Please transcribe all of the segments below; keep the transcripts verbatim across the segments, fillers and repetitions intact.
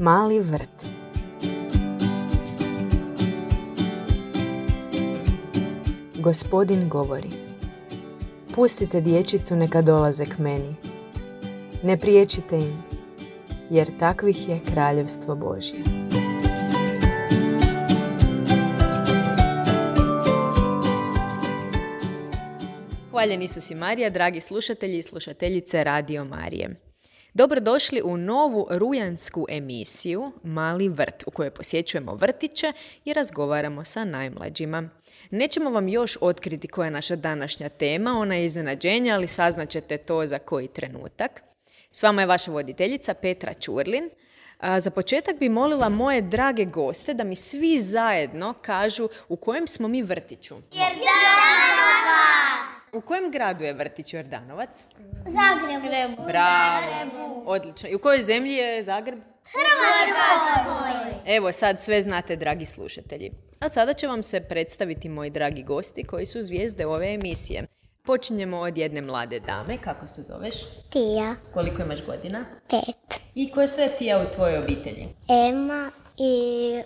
Mali vrt. Gospodin govori: pustite dječicu neka dolaze k meni. Ne priječite im, jer takvih je kraljevstvo Božje. Hvaljen Isus i Marija, dragi slušatelji i slušateljice Radio Marije. Dobrodošli u novu rujansku emisiju Mali vrt, u kojoj posjećujemo vrtiće i razgovaramo sa najmlađima. Nećemo vam još otkriti koja je naša današnja tema, ona je iznenađenje, ali saznaćete to za koji trenutak. S vama je vaša voditeljica Petra Ćurlin. A za početak bi molila moje drage goste da mi svi zajedno kažu u kojem smo mi vrtiću. Jordanovac! U kojem gradu je vrtić Jordanovac? Zagrebu. Bravo, odlično. I u kojoj zemlji je Zagreb? Hrvatskoj. Evo, sad sve znate, dragi slušatelji. A sada će vam se predstaviti moji dragi gosti koji su zvijezde ove emisije. Počinjemo od jedne mlade dame. Kako se zoveš? Tija. Koliko imaš godina? Pet. I ko je sve Tija u tvojoj obitelji? Ema i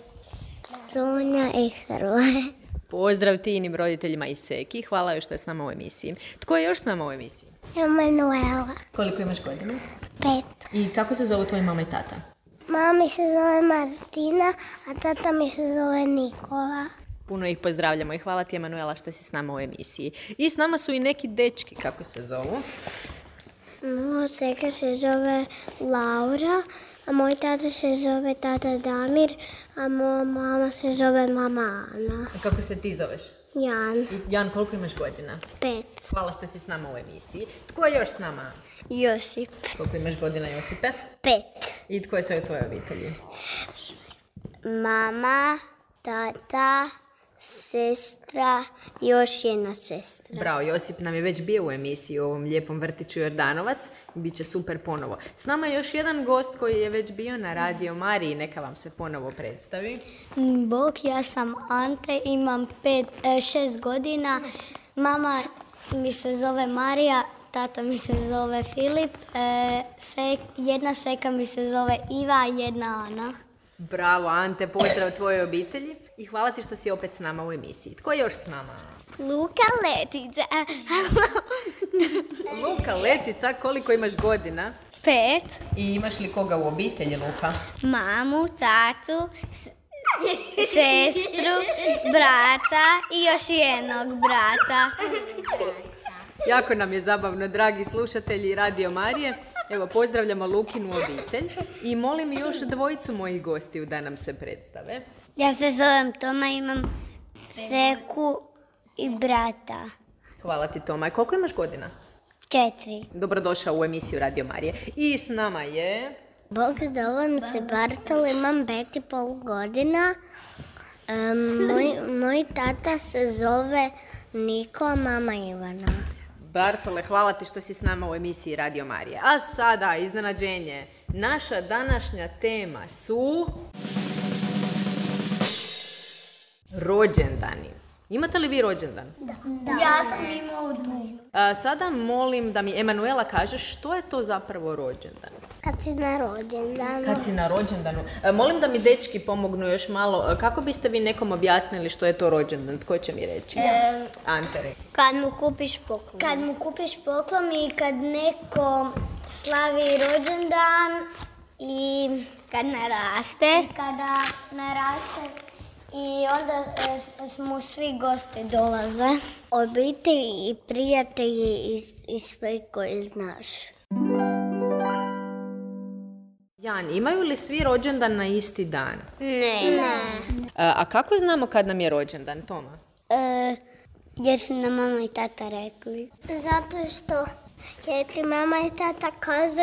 Sonja i Hrvoje. Pozdrav Tijinim roditeljima i Seki. Hvala joj što je s nama u emisiji. Tko je još s nama u emisiji? Emanuela. Koliko imaš godina? Pet. I kako se zovu tvoji mama i tata? Mami se zove Martina, a tata mi se zove Nikola. Puno ih pozdravljamo i hvala ti, Emanuela, što si s nama u emisiji. I s nama su i neki dečki, kako se zovu? Moj čeka se zove Laura, a moj tata se zove tata Damir, a moja mama se zove mama Ana. A kako se ti zoveš? Jan. I Jan, koliko imaš godina? Pet. Hvala što si s nama u emisiji. Tko je još s nama? Josip. Koliko imaš godina, Josipe? Pet. I tko je sve u tvojoj obitelji? Mama, tata, sestra, još jedna sestra. Bravo, Josip nam je već bio u emisiji u ovom lijepom vrtiću Jordanovac. Biće super ponovo. S nama je još jedan gost koji je već bio na Radio Mariji. Neka vam se ponovo predstavi. Bog, ja sam Ante, imam pet, e, šest godina. Mama mi se zove Marija, tata mi se zove Filip, e, sek, jedna seka mi se zove Iva, a jedna Ana. Bravo, Ante, pozdrav tvojoj obitelji i hvala ti što si opet s nama u emisiji. Tko je još s nama? Luka Letica. Luka Letica, koliko imaš godina? Pet. I imaš li koga u obitelji, Luka? Mamu, tatu, s- sestru, brata i još jednog brata. Jako nam je zabavno, dragi slušatelji Radio Marije. Evo, pozdravljamo Lukinu obitelj i molim još dvojicu mojih gostiju da nam se predstave. Ja se zovem Toma, imam seku i brata. Hvala ti, Toma. Koliko imaš godina? Četiri. Dobrodošao u emisiju Radio Marije. I s nama je... Bog, zovem se Bartol, imam pet i pol godina. Um, moj, moj tata se zove Niko, a mama Ivana. Bartole, hvala ti što si s nama u emisiji Radio Marije. A sada, iznenađenje. Naša današnja tema su... rođendani. Imate li vi rođendan? Da. Ja sam imao du. A, sada molim da mi Emanuela kaže što je to zapravo rođendan. Kad si na rođendanu. Kad si na rođendanu. A, molim da mi dečki pomognu još malo. A, kako biste vi nekom objasnili što je to rođendan? Tko će mi reći? E, Ante, rekli. kad mu kupiš poklon. Kad mu kupiš poklon i kad neko slavi rođendan i kad naraste. Kada naraste. I onda e, smo svi gosti dolaze. Obitelji i prijatelji i, i sve koje znaš. Jan, imaju li svi rođendan na isti dan? Ne. Ne. A, a kako znamo kad nam je rođendan, Toma? E, jer su nam mama i tata rekli. Zato što jer ti mama i tata kažu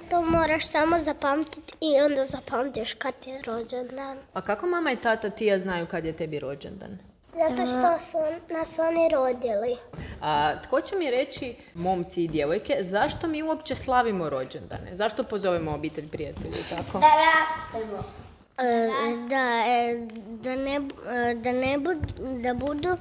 to moraš samo zapamtiti i onda zapamtiš kad je rođendan. A kako mama i tata Tija znaju kad je tebi rođendan? Zato što su nas oni rodili. A tko će mi reći, momci i djevojke, zašto mi uopće slavimo rođendane? Zašto pozovemo obitelj, prijatelji i tako? Da rastemo. E, da, e, da, ne, e, da, ne budu, da budu,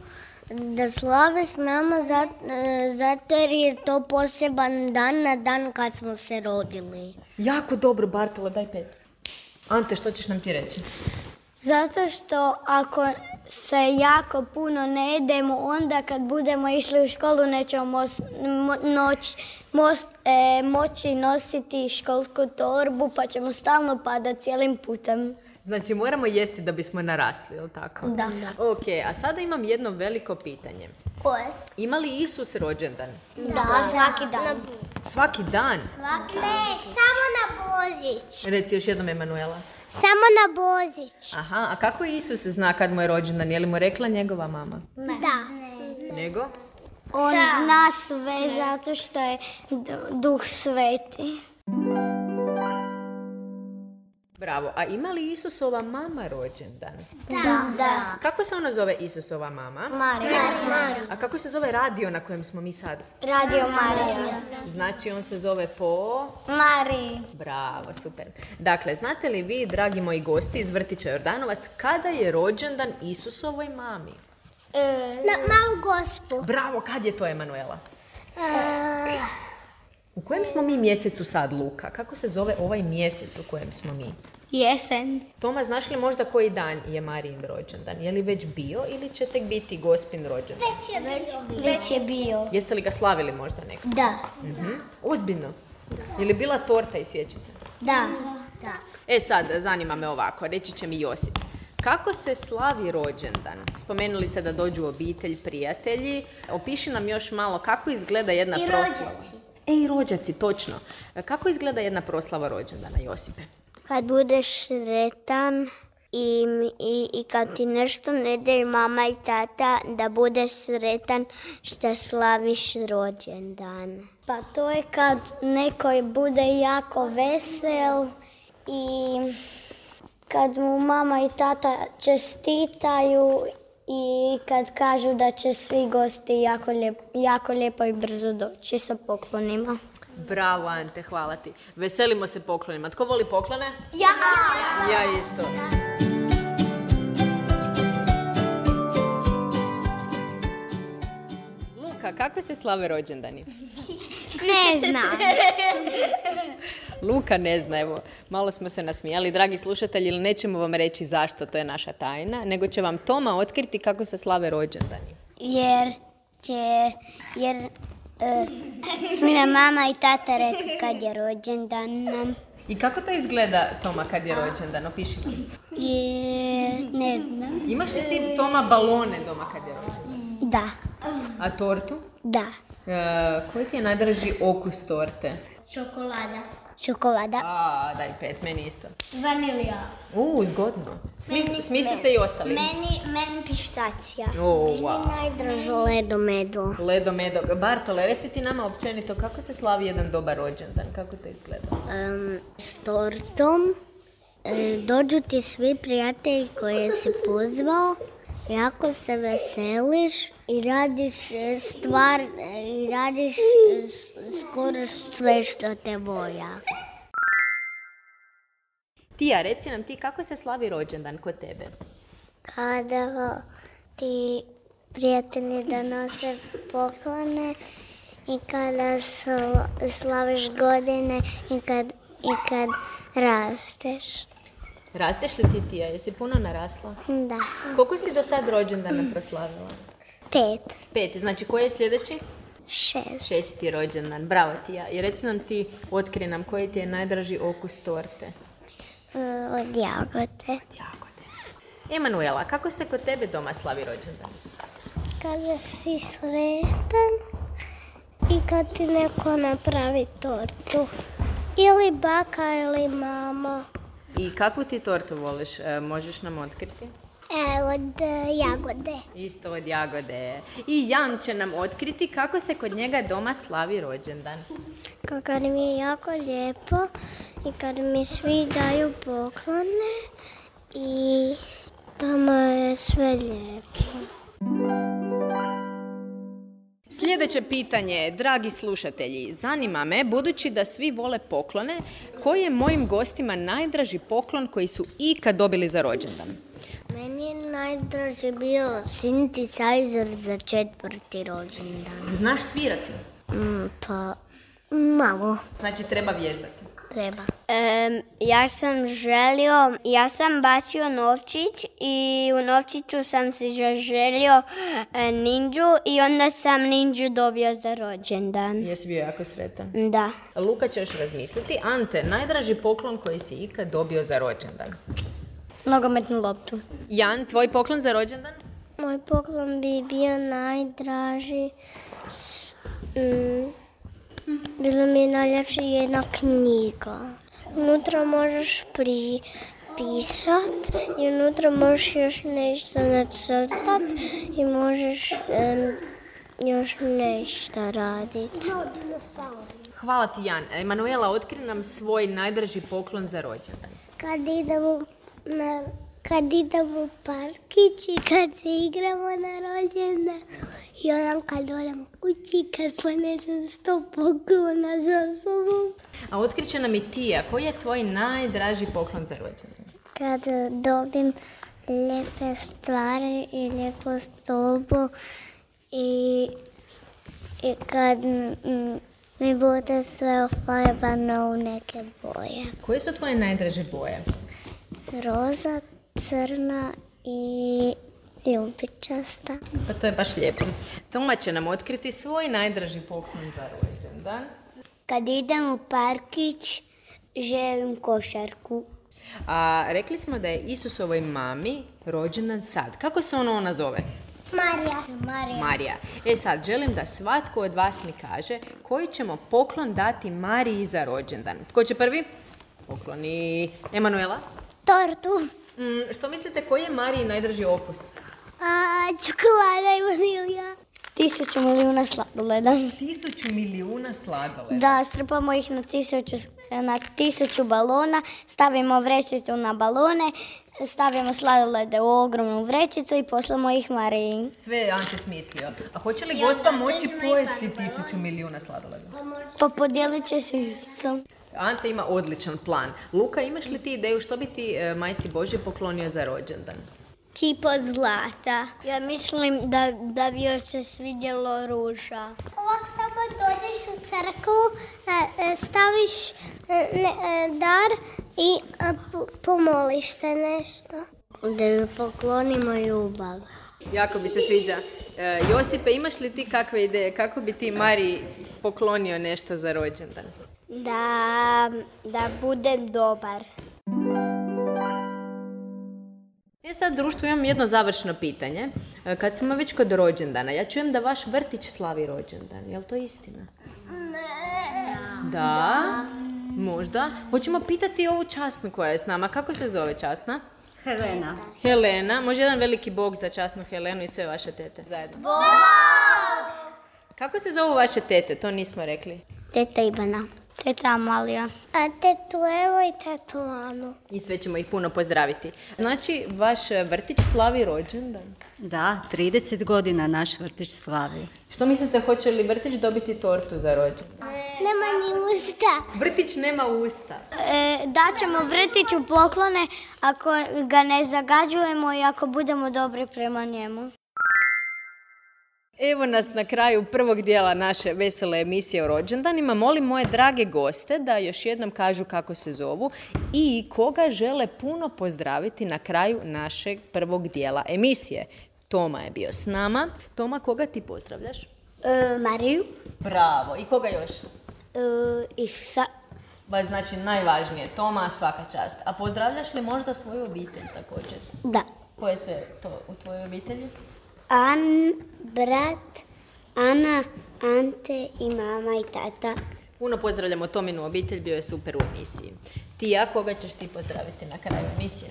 da slave s nama zat, e, zato jer je to poseban dan na dan kad smo se rodili. Jako dobro, Bartolo, daj pet. Ante, što ćeš nam ti reći? Zato što ako se jako puno ne jedemo, onda kad budemo išli u školu nećemo mos, mo, noć, mos, e, moći nositi školsku torbu, pa ćemo stalno padati cijelim putem. Znači, moramo jesti da bismo narasli, je li tako? Da. Ok, a sada imam jedno veliko pitanje. Koje? Ima li Isus rođendan? Da, da, svaki dan. Svaki dan? Svaki dan. Ne, samo na Božić. Reci još jednom, Emanuela. Samo na Božić. Aha, a kako Isus zna kad mu je rođendan? Je li mu rekla njegova mama? Ne. Da. Ne. Nego? On zna sve zato što je Duh Sveti. Bravo. A ima li Isusova mama rođendan? Da. Da. Kako se ona zove Isusova mama? Marija. Marija. A kako se zove radio na kojem smo mi sad? Radio Marija. Znači, on se zove po... Mariji. Bravo, super. Dakle, znate li vi, dragi moji gosti iz vrtića Jordanovac, kada je rođendan Isusovoj mami? E... Na Malu Gospu. Bravo, kad je to, Emanuela? E... U kojem smo mi mjesecu sad, Luka? Kako se zove ovaj mjesec u kojem smo mi? Jesen. Toma, znaš li možda koji dan je Marijin rođendan? Je li već bio ili će tek biti Gospin rođendan? Već je bio. Već je bio. Jeste li ga slavili možda neko? Da. Mhm. Ozbiljno? Je li bila torta i svječice? Da. Da. E sad, zanima me ovako, reći će mi Josip. Kako se slavi rođendan? Spomenuli ste da dođu obitelj, prijatelji. Opiši nam još malo kako izgleda jedna I proslava. rođaci. E, i rođaci, točno. Kako izgleda jedna proslava rođendana, Josipe? Kad budeš sretan i, i, i kad ti nešto ne daju mama i tata, da budeš sretan što slaviš rođendan. Pa to je kad neko bude jako vesel i kad mu mama i tata čestitaju i kad kažu da će svi gosti jako, lijep, jako lijepo i brzo doći sa poklonima. Bravo, Ante, hvala ti. Veselimo se poklonima. Tko voli poklone? Ja! Ja isto. Luka, kako se slave rođendani? Ne znam. Luka ne zna, evo, malo smo se nasmijali. Dragi slušatelji, ili nećemo vam reći zašto, to je naša tajna, nego će vam Toma otkriti kako se slave rođendani. Jer će, jer uh, su nam mama i tata rekli kad je rođendan nam. I kako to izgleda, Toma, kad je rođendan? Opiši nam. Je, ne znam. Imaš li ti, Toma, balone doma kad je rođendan? Da. A tortu? Da. E, koji ti je najdraži okus torte? Čokolada. Čokolada. A, daj pet, meni isto. Vanilija. U, zgodno. Smis, meni, smislite i ostali. Meni, meni pištacija. O, wow. Najdraže ledo medo. Ledo medo. Bartole, reci ti nama općenito kako se slavi jedan dobar rođendan, kako to izgleda? Um, s tortom. E, dođu ti svi prijatelji koje si pozvao. Jako se veseliš i radiš stvar, i radiš skoro sve što te volja. Tija, reci nam ti kako se slavi rođendan kod tebe? Kada ti prijatelji donose poklone i kada slaviš godine i kad, i kad rasteš. Rasteš li ti, Tija? Jesi puno narasla? Da. Koliko si do sad rođendana proslavila? Pet. Pet. Znači, koji je sljedeći? Šest. Šesti rođendan. Bravo, Tija. I reci nam ti, otkri nam, koji ti je najdraži okus torte? Uh, od jagode. Od jagode. Emanuela, kako se kod tebe doma slavi rođendan? Kada si sretan i kad ti neko napravi tortu. Ili baka ili mama. I kakvu ti tortu voliš? E, možeš nam otkriti? E, od e, jagode. Isto od jagode. I Jan će nam otkriti kako se kod njega doma slavi rođendan. Kad mi je jako lijepo i kad mi svi daju poklone i tamo je sve lijepo. Sljedeće pitanje, dragi slušatelji, zanima me, budući da svi vole poklone, koji je mojim gostima najdraži poklon koji su ikad dobili za rođendan? Meni je najdraži bio synthesizer za četvrti rođendan. Znaš svirati? Mm, pa, malo. Znači treba vježbati. treba. Um, ja sam želio, ja sam bacio novčić i u novčiću sam si želio e, ninđu i onda sam ninđu dobio za rođendan. Jesi bio jako sretan? Da. Luka će još razmisliti. Ante, najdraži poklon koji si ikad dobio za rođendan? Nogometnu loptu. Jan, tvoj poklon za rođendan? Moj poklon bi bio najdraži. Mm. Bilo mi je najljepše jedna knjiga. Unutra možeš pripisat i unutra možeš još nešto nacrtat i možeš um, još nešto raditi. Hvala ti, Jan. Emanuela, otkri nam svoj najdraži poklon za rođendan. Kad idemo na Kad idemo u parkić i kad se igramo na rođendan i onam kad odam kući, kad ponesem sto poklona za sobom. A otkriće nam i Tija, koji je tvoj najdraži poklon za rođendan? Kad dobim lijepe stvari i lijepu sobu i, i kad mm, mi bude sve ofarbano u neke boje. Koje su tvoje najdraže boje? Roza, crna i ljubičasta. Pa to je baš lijepo. Toma će nam otkriti svoj najdraži poklon za rođendan. Kad idem u parkić, želim košarku. A rekli smo da je Isusovoj mami rođendan sad. Kako se ona ona zove? Marija. Marija. Marija. E sad, želim da svatko od vas mi kaže koji ćemo poklon dati Mariji za rođendan. Tko će prvi? Pokloni Emanuela. Tortu. Mm, što mislite, koji je Mariji najdraži okus? A, čokolada i vanilja. Tisuću milijuna sladoleda. Tisuću milijuna sladoleda. Da, strpamo ih na tisuću, na tisuću balona, stavimo vrećicu na balone, stavimo sladolede u ogromnu vrećicu i poslamo ih Mariji. Sve je Ante smislio. A hoće li Gospa moći pojesti tisuću milijuna sladoleda? Pa podijelit će se sam. Ante ima odličan plan. Luka, imaš li ti ideju što bi ti e, Majci Božje poklonio za rođendan? Kipo zlata. Ja mislim da, da bi joj se svidjelo ruža. Ovak samo dođeš u crkvu, staviš dar i pomoliš se nešto. Da joj poklonimo ljubav. Jako bi se sviđa. E, Josipe, imaš li ti kakve ideje? Kako bi ti Mariji poklonio nešto za rođendan? Da, da budem dobar. E sad, društvo, imam jedno završno pitanje. Kad smo već kod rođendana, ja čujem da vaš vrtić slavi rođendan. Je li to istina? Ne. Da. Da? Možda. Hoćemo pitati ovu časnu koja je s nama. Kako se zove časna? Helena. Helena. Može jedan veliki bog za časnu Helenu i sve vaše tete zajedno? Bog! Kako se zovu vaše tete? To nismo rekli. Teta Ivana. Teta Amalija. A tetu Evo i tetu Anu. I sve ćemo ih puno pozdraviti. Znači, vaš vrtić slavi rođendan? Da, trideset godina naš vrtić slavi. Što mislite, hoće li vrtić dobiti tortu za rođendan? Nema ni usta. Vrtić nema usta. E, daćemo vrtiću poklone ako ga ne zagađujemo i ako budemo dobri prema njemu. Evo nas na kraju prvog dijela naše vesele emisije o rođendanima. Molim moje drage goste da još jednom kažu kako se zovu i koga žele puno pozdraviti na kraju našeg prvog dijela emisije. Toma je bio s nama. Toma, koga ti pozdravljaš? E, Mariju. Bravo. I koga još? E, Isusa. Ba, znači najvažnije. Toma, svaka čast. A pozdravljaš li možda svoju obitelj također? Da. Ko je sve to u tvojoj obitelji? An, brat, Ana, Ante i mama i tata. Puno pozdravljamo Tominu obitelj, bio je super u emisiji. Tija, koga ćeš ti pozdraviti na kraju emisije?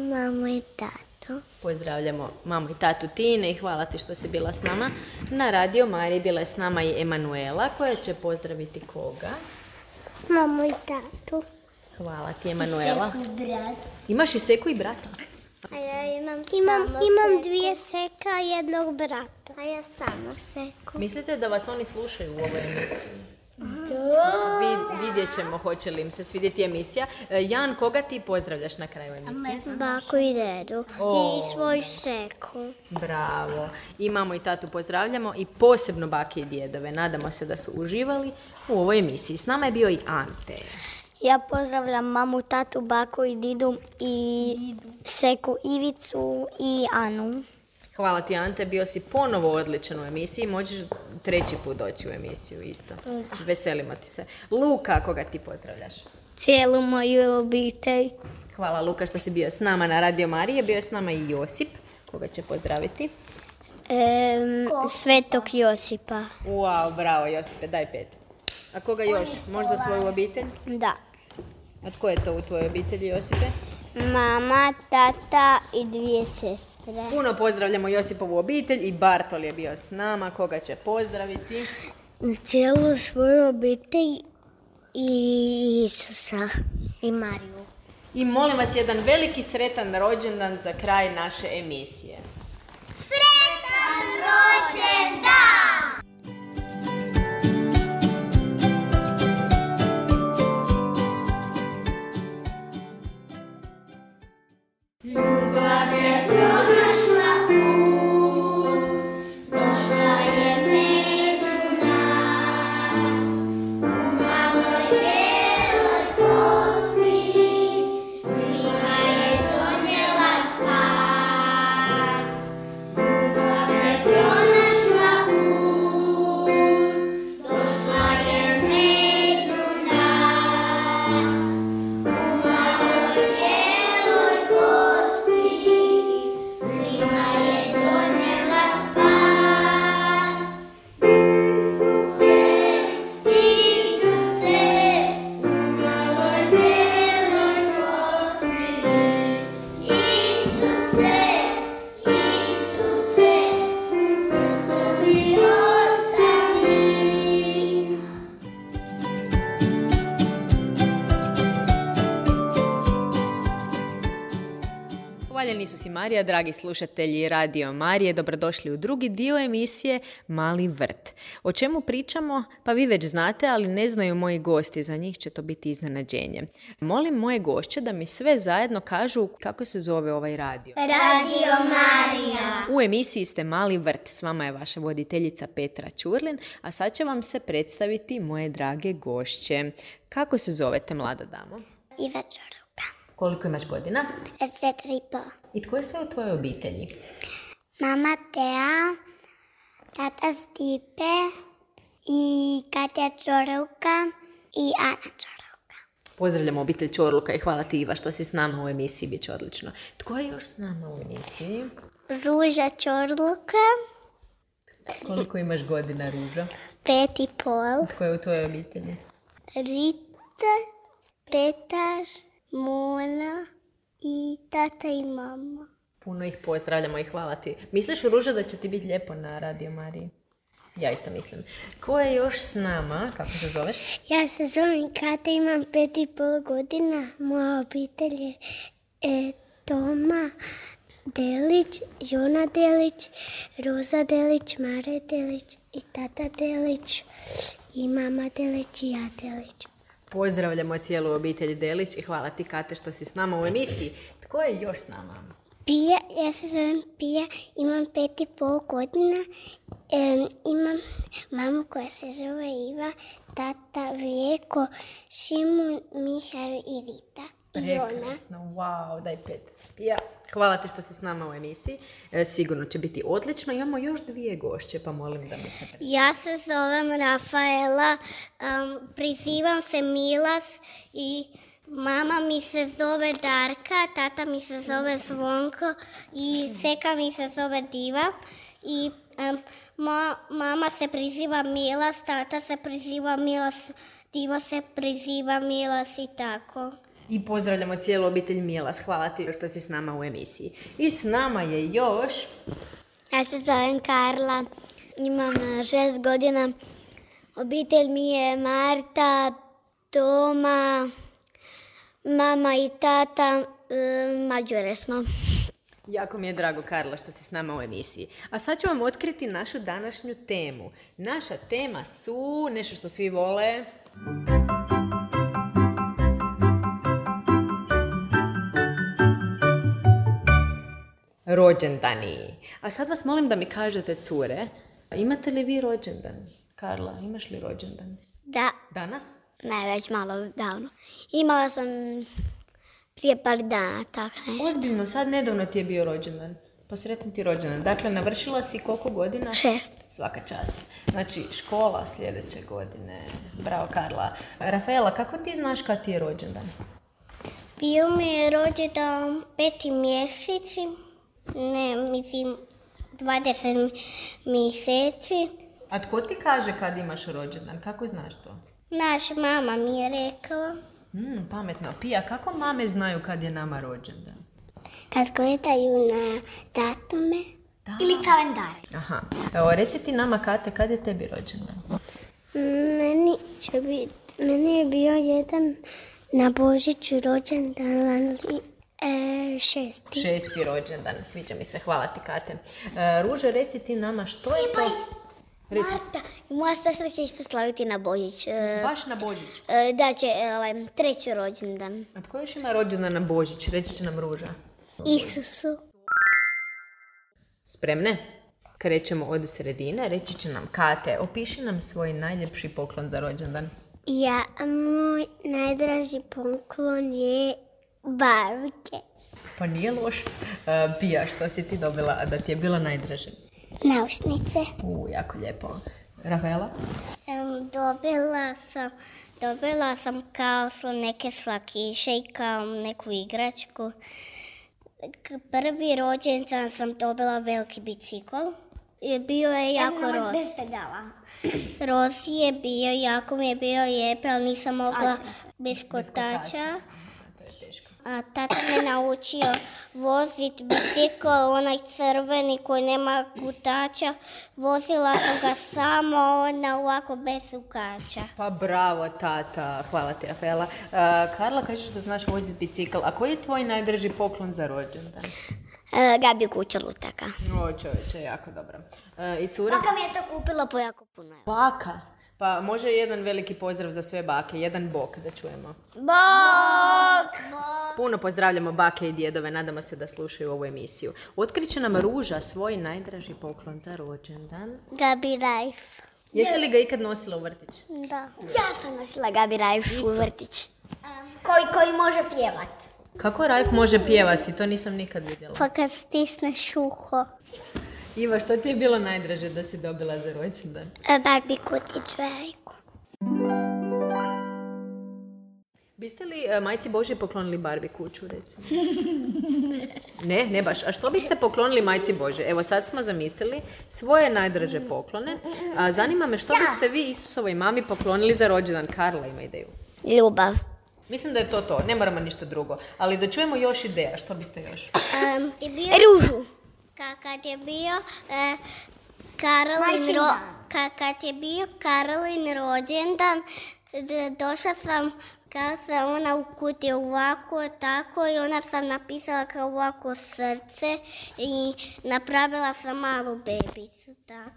Mamu i tatu. Pozdravljamo mamu i tatu Tine i hvala ti što si bila s nama. Na Radio Mariji bila je s nama i Emanuela koja će pozdraviti koga? Mamu i tatu. Hvala ti, Emanuela. I seku i brat. Imaš i seku i brata? A ja imam, imam, imam dvije seka i jednog brata. A ja samo seku. Mislite da vas oni slušaju u ovoj emisiji? Da. Vid, vidjet ćemo hoće li im se svidjeti emisija. E, Jan, koga ti pozdravljaš na kraju emisije? Baku i dedu O. i svoju seku. Bravo. I mamu i tatu pozdravljamo i posebno bake i djedove. Nadamo se da su uživali u ovoj emisiji. S nama je bio i Ante. Ja pozdravljam mamu, tatu, baku i didu i seku Ivicu i Anu. Hvala ti, Ante, bio si ponovo odličan u emisiji, možeš treći put doći u emisiju isto. Veselimo ti se. Luka, koga ti pozdravljaš? Cijelu moju obitelj. Hvala, Luka, što si bio s nama na Radio Marije. Bio je s nama i Josip, koga će pozdraviti. Em, Svetog Josipa. Wow, bravo, Josipe, daj pet. A koga još? Možda svoju obitelj? Da. A tko je to u tvojoj obitelji, Josipe? Mama, tata i dvije sestre. Puno pozdravljamo Josipovu obitelj i Bartol je bio s nama, koga će pozdraviti? Cijelu svoju obitelj i Isusa i Mariju. I molim vas jedan veliki sretan rođendan za kraj naše emisije. Sretan rođendan! Ljubav je pronašla put, došla je među nas, u maloj bijeloj kosti, svima je donijela spas. Ljubav je pronašla put, došla je među nas, u maloj bijeloj kosti, svima je donijela spas. Isuse, Isuse, u maloj bijeloj kosti, Isuse, Isuse, srcem bio sam mi. Hvaljeni su si Marija, dragi slušatelji Radio Marije, dobrodošli u drugi dio emisije Mali vrt. O čemu pričamo? Pa vi već znate, ali ne znaju moji gosti, za njih će to biti iznenađenje. Molim moje gošće da mi sve zajedno kažu kako se zove ovaj radio. Radio Marija. U emisiji ste Mali vrt, s vama je vaša voditeljica Petra Ćurlin, a sad će vam se predstaviti moje drage gošće. Kako se zovete, mlada damo? Iva Čoruka. Koliko imaš godina? Četiri i po. I tko je sve u tvojoj obitelji? Mama Tea, tata Stipe i Katja Čoruka i Ana Čoruka. Pozdravljamo obitelj Čorluka i hvala ti, Iva, što si s nama u emisiji, bit će odlično. Tko je još s nama u emisiji? Ruža Čoruka, Koliko imaš godina, Ruža? pet i pol. Tko je u tvojoj obitelji? Rita, Petar, Mona i tata i mama. Puno ih pozdravljamo i hvala ti. Misliš, Ruža, da će ti biti lijepo na Radio Mariji? Ja isto mislim. Ko je još s nama? Kako se zoveš? Ja se zovem Kata, imam pet i pol godina. Moja obitelj je e, Toma Delić, Jona Delić, Roza Delić, Mare Delić i tata Delić i mama Delić i ja Delić. Pozdravljamo cijelu obitelj Delić i hvala ti, Kate, što si s nama u emisiji. Tko je još s nama? Pija, ja se zovem Pija, imam pet i pol godina, e, imam mamu koja se zove Iva, tata Vijeko, Šimun, Mihael i Rita. I Jona. Prekrasno, wow, daj pet. Ja, hvala ti što si s nama u emisiji. E, sigurno će biti odlično. Imamo još dvije gošće, pa molim da mi se... Ja se zovem Rafaela, um, prizivam se Milas i mama mi se zove Darka, tata mi se zove Zvonko i seka mi se zove Diva. I um, ma, mama se priziva Milas, tata se priziva Milas, Diva se priziva Milas i tako. I pozdravljamo cijelu obitelj Milas. Hvala ti što si s nama u emisiji. I s nama je još... Ja se zovem Karla, imam šest godina. Obitelj mi je Marta, Toma, mama i tata, e, Mađure smo. Jako mi je drago, Karla, što si s nama u emisiji. A sad ću vam otkriti našu današnju temu. Naša tema su nešto što svi vole. Rođendani. A sad vas molim da mi kažete, cure, imate li vi rođendan? Karla, imaš li rođendan? Da, Danas? ne, već malo davno. Imala sam prije par dana, tako nešto. Ozbiljno, sad nedavno ti je bio rođendan. Pa sretan ti rođendan. Dakle, navršila si koliko godina? Šest. Svaka čast. Znači, škola sljedeće godine. Bravo, Karla. Rafaela, kako ti znaš kad ti je rođendan? Bio mi je rođendan peti mjeseci, ne, mislim, dvadeset mjeseci. A tko ti kaže kad imaš rođendan? Kako znaš to? Naša mama mi je rekla. Mm, pametno. Pija, kako mame znaju kad je nama rođendan? Kad gledaju na datume ili kalendare. Aha. Evo, reci ti nama, Kate, kad je tebi rođendan? Meni će biti, meni je bio jedan na Božiću rođendan, ali e, šesti. Šesti rođendan. Sviđa mi se. Hvala ti, Kate. E, Ruže, reci ti nama što je to... Reci. Marta, moja sestra će isto slaviti na Božić. E, Baš na Božić. e, da će ovaj, treći rođendan. A tko još ima rođendan na Božić? Reći će nam Ruža. Isusu. Spremne? Krećemo od sredine. Reći će nam Kate, opiši nam svoj najljepši poklon za rođendan. Ja, moj najdraži poklon je barbike. Pa nije loš. E, Pija, što si ti dobila da ti je bilo najdraže? Naušnice. U, jako lijepo. Rafaela? Um, dobila sam, dobila sam kao sl- neke slakiše i kao neku igračku. K- Prvi rođendan sam dobila veliki bicikl. I bio je jako roz. Bez pedala. Roz je bio, jako mi je bio lijep, ali nisam mogla bez kotača. To je teško. A tata me naučio voziti bicikl, onaj crveni koji nema kotača. Vozila sam ga samo na ovako bez ukača. Pa bravo, tata. Hvala ti, Rafaela. E, Karla, kažeš da znaš voziti bicikl. A koji je tvoj najdraži poklon za rođendan? E, Gabi kuća lutaka. O, čovječe, jako dobro. E, I cura? Baka mi je to kupila po jako puno. Baka. Pa može jedan veliki pozdrav za sve bake. Jedan bok da čujemo. Bok! Puno pozdravljamo bake i djedove. Nadamo se da slušaju ovu emisiju. Otkriće nam Ruža svoj najdraži poklon za rođendan. Gabi Rajf. Jesi li ga ikad nosila u vrtić? Da. Ja sam nosila Gabi Rajf u vrtić. Koji, koji može pjevat. Kako Rajf može pjevati? To nisam nikad vidjela. Pa kad stisneš uho. Iva, što ti je bilo najdraže da si dobila za rođendan? Barbie kutiću jajku. Biste li e, majci Božji poklonili Barbie kuću, recimo? Ne, ne baš. A što biste poklonili majci Božje? Evo sad smo zamislili svoje najdraže poklone. A, zanima me što biste vi Isusovoj mami poklonili za rođendan. Karla ima ideju. Ljubav. Mislim da je to to. Ne moramo ništa drugo. Ali da čujemo još ideja. Što biste još? Um, Ružu. Ka- kad je bio e, Karolin ro- ka- kad je bio Karolin rođendan, d- došla sam kao sam ona u kutiji ovako, tako i ona sam napisala kao ovako srce i napravila sam malu bebicu, tako.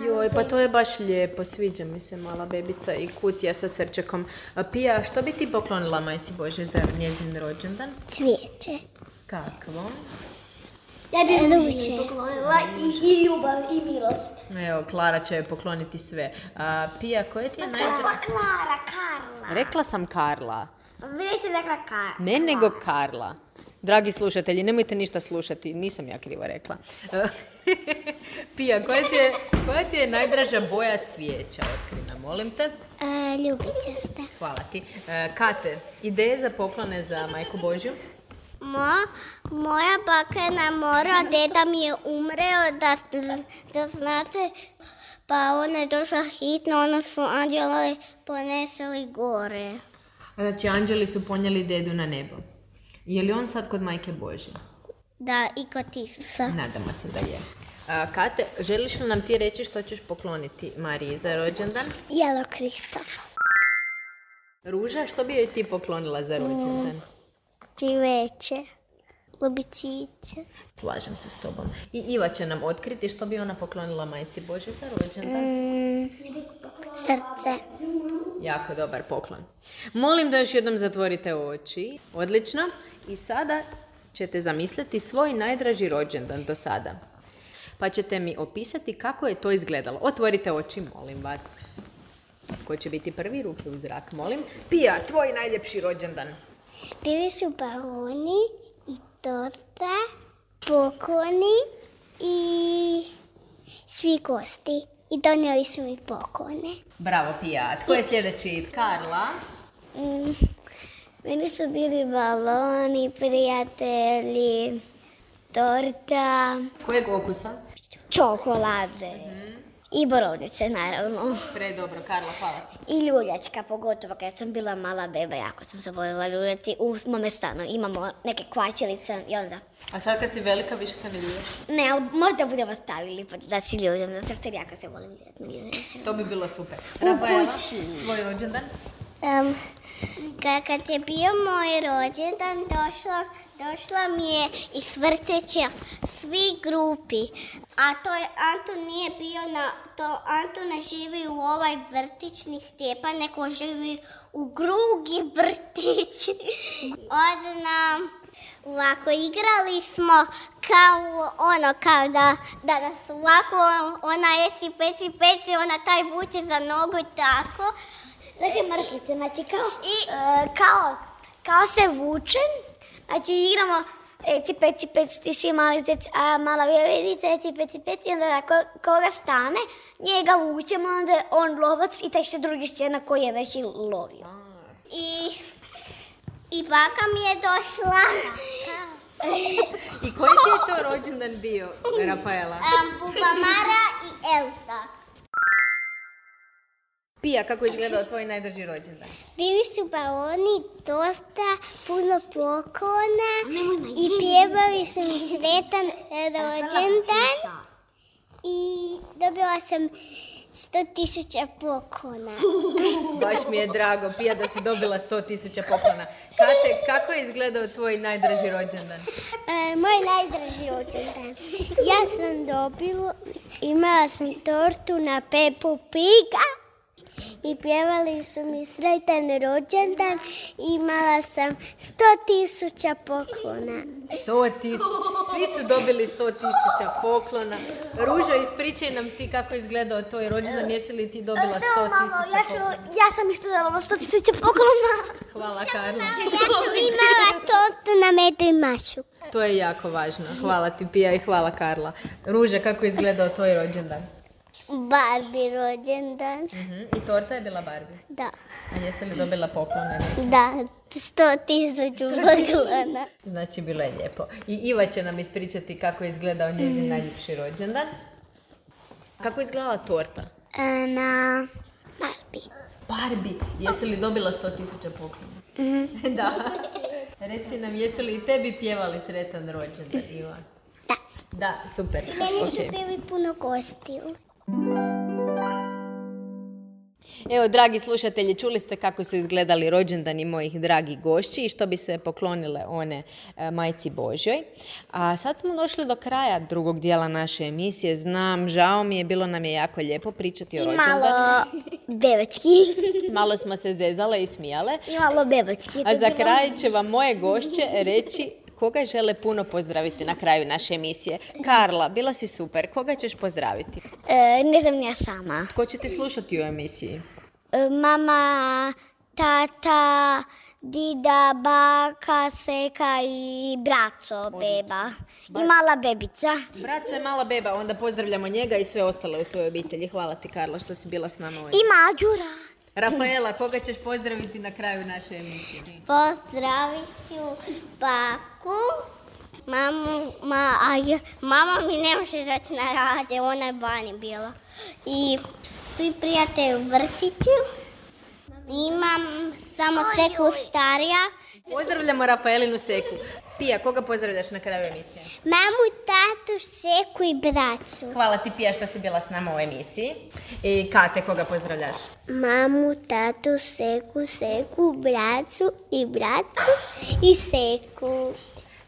Joj, pa to je baš lijepo. Sviđa mi se mala bebica i kutija sa srčekom. A Pija, što bi ti poklonila majci Božje za njezin rođendan? Cvijeće. Kakvo? Ja bih Ruže poklonila i, i ljubav i milost. Evo, Klara će joj pokloniti sve. A, Pija, koje ti je najdraže? Klara, Karla. Rekla sam Karla. Vi niste rekla Karla. Ne nego Karla. Dragi slušatelji, nemojte ništa slušati, nisam ja krivo rekla. Pija, koja ti je, koja ti je najdraža boja cvijeća? Otkri nam, molim te. E, ljubičaste. Hvala ti. E, Kate, ideje za poklone za majku Božju? Mo, moja baka je na moru, a deda mi je umreo, da, da znate, pa ona je došla hitno, ona su anđeli poneseli gore. Znači, anđeli su ponijeli dedu na nebo. Je li on sad kod majke Božje? Da, i kod Isusa. Nadamo se da je. A, Kate, želiš li nam ti reći što ćeš pokloniti Mariji za rođendan? Jelo Krista. Ruža, što bi joj ti poklonila za rođendan? Cvijeće. lubiciće. Slažem se s tobom. I Iva će nam otkriti što bi ona poklonila majci Božoj za rođendan. Mm, srce. Jako dobar poklon. Molim da još jednom zatvorite oči. Odlično. I sada ćete zamisliti svoj najdraži rođendan do sada. Pa ćete mi opisati kako je to izgledalo. Otvorite oči, molim vas. Ko će biti prvi? Ruke u zrak, molim. Pija, tvoj najljepši rođendan. Bili su baloni i torta, pokloni i svi gosti. I donijeli su mi poklone. Bravo, Pija. Tko je sljedeći? Karla. Mm, meni su bili baloni, prijatelji, torta, Kojeg okusa? čokolade i borovnice, naravno. Predobro, Karla, hvala ti. I ljuljačka, pogotovo kad sam bila mala beba, jako sam se voljela ljuljati. U mome stanu imamo neke kvačilice i onda... A sad kad si velika, više se ne ljuljaš? Ne, ali možda budemo stavili pa da si ljuljam, zato što jako se volim ljuljati. To bi bilo super. Rafaela, tvoj rođendan? Um, kad je bio moj rođendan, došla, došla mi je iz vrteća svi grupi. A to je, Anton nije bio na, to Anton ne živi u ovaj vrtićni Stjepan, neko živi u drugi vrtić. Od nam, ovako, igrali smo kao ono, kao da, da nas ovako, ona eci, peci, peci, ona taj vuče za nogu i tako. Dakle, mrkvice, znači kao, i, uh, kao, kao se vučem, znači igramo eci, peci, peci, ti si mali zec, a mala vjeverica, eci, peci, peci, onda ako koga stane, njega vučemo, onda je on lovac i taj se drugi scena koji je već i lovio. I, i baka mi je došla. I koji ti je to rođendan bio, Rafaela? Um, Bubamara i Elsa. Pija, kako je izgledao tvoj najdraži rođendan? Bili su baloni, torta, puno poklona i pjevali su mi sretan rođendan i dobila sam sto tisuća poklona. Baš mi je drago, Pija, da si dobila sto tisuća poklona. Kate, kako je izgledao tvoj najdraži rođendan? E, moj najdraži rođendan. Ja sam dobila, imala sam tortu na Peppu Piga. I pjevali su mi sretan rođendan i imala sam sto tisuća poklona. Sto tisuća, svi su dobili sto tisuća poklona. Ružo, ispričaj nam ti kako je izgledao tvoj rođendan, jesi li ti dobila sto tisuća poklona? Ja sam isto dobila sto tisuća poklona. Hvala, Karla. Ja sam imala tortu na medu i mašu. To je jako važno. Hvala ti, Pija, i hvala, Karla. Ruža, kako je izgledao tvoj rođendan? Barbie rođendan. Uh-huh. I torta je bila Barbie? Da. A jesi li dobila poklone? Da, sto tisuća poklona. Znači, bilo je lijepo. I Iva će nam ispričati kako je izgledao njezin najljepši rođendan. Kako je izgledala torta? Na Barbie. Barbie. Jesi li dobila sto tisuća poklona? Mm-hmm. Da. Reci nam, jesu li i tebi pjevali sretan rođendan, Iva? Da. Da, super. Meni su Okay. bili puno gostiju. Evo, dragi slušatelji, čuli ste kako su izgledali rođendani mojih dragih gošći i što bi sve poklonile one e, majci Božjoj. A sad smo došli do kraja drugog dijela naše emisije. Znam, žao mi je, bilo nam je jako lijepo pričati o I rođendanu. malo bebački. Malo smo se zezale i smijale. I malo bebački. A za kraj će vam moje gošće reći koga žele puno pozdraviti na kraju naše emisije. Karla, bila si super. Koga ćeš pozdraviti? E, ne znam ja sama. Tko će ti slušati u emisiji? E, mama, tata, dida, baka, seka i braco, beba. I mala bebica. Braco je mala beba, onda pozdravljamo njega i sve ostale u tvojoj obitelji. Hvala ti, Karla, što si bila s nama ovdje. I Mađura. Rafaela, koga ćeš pozdraviti na kraju naše emisije? Pozdravit ću baku. Mamu, ma, a ja, mama mi ne može reći na rađe, ona je bani bila. I svi prijatelji u vrtiću. Imam samo Seku starija. Pozdravljamo Rafaelinu Seku. Pija, koga pozdravljaš na kraju emisije? Mamu, tatu, Seku i braću. Hvala ti, Pija, što si bila s nama u emisiji. I Kate, koga pozdravljaš? Mamu, tatu, Seku, Seku, braću i braću i Seku.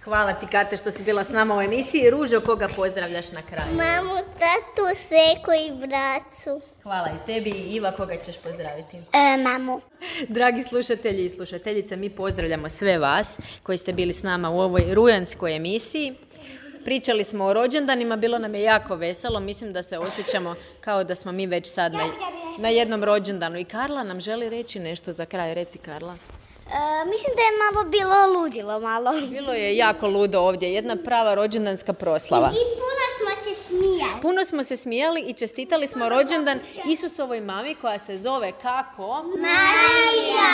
Hvala ti, Kate, što si bila s nama u emisiji. Ružo, koga pozdravljaš na kraju? Mamu, tatu, seku i bracu. Hvala i tebi. I Iva, koga ćeš pozdraviti? E, mamu. Dragi slušatelji i slušateljice, mi pozdravljamo sve vas koji ste bili s nama u ovoj rujanskoj emisiji. Pričali smo o rođendanima, bilo nam je jako veselo, mislim da se osjećamo kao da smo mi već sad na, na jednom rođendanu. I Karla nam želi reći nešto za kraj. Reci, Karla. E, mislim da je malo bilo ludilo, malo. Bilo je jako ludo ovdje, jedna prava rođendanska proslava. I puno smo se smijali. Puno smo se smijali i čestitali smo rođendan Isusovoj mami koja se zove kako? Marija!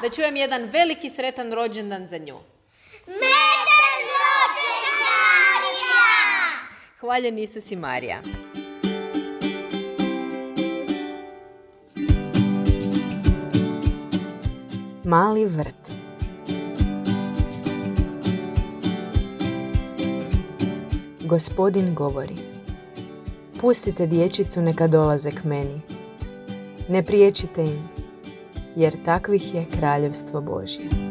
Da čujem jedan veliki sretan rođendan za nju. Sretan rođendan, Marija! Hvaljen Isus i Marija. Mali vrt. Gospodin govori: pustite dječicu neka dolaze k meni. Ne priječite im, jer takvih je kraljevstvo Božje.